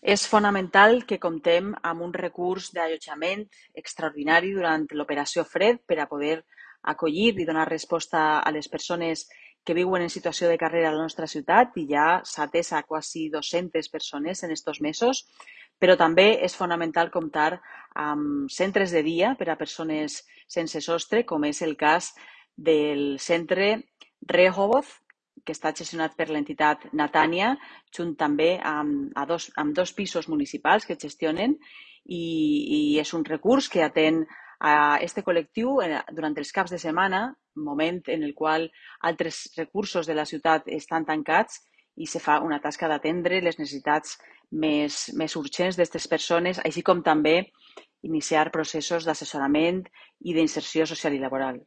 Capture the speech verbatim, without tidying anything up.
És fonamental que comptem amb un recurs d'allotjament extraordinari durant l'operació Fred per a poder acollir i donar resposta a les persones que viuen en situació de carrera a la nostra ciutat i ja s'ha atès a quasi dues-centes persones en estos mesos, però també és fonamental comptar amb centres de dia per a persones sense sostre, com és el cas del centre Rehoboth, que està gestionat per l'entitat Natània, junt també amb, a dos, amb dos pisos municipals que gestionen i, i és un recurs que atén a este col·lectiu durant els caps de setmana, moment en el qual altres recursos de la ciutat estan tancats i se fa una tasca d'atendre les necessitats més, més urgents d'aquestes persones, així com també iniciar processos d'assessorament i d'inserció social i laboral.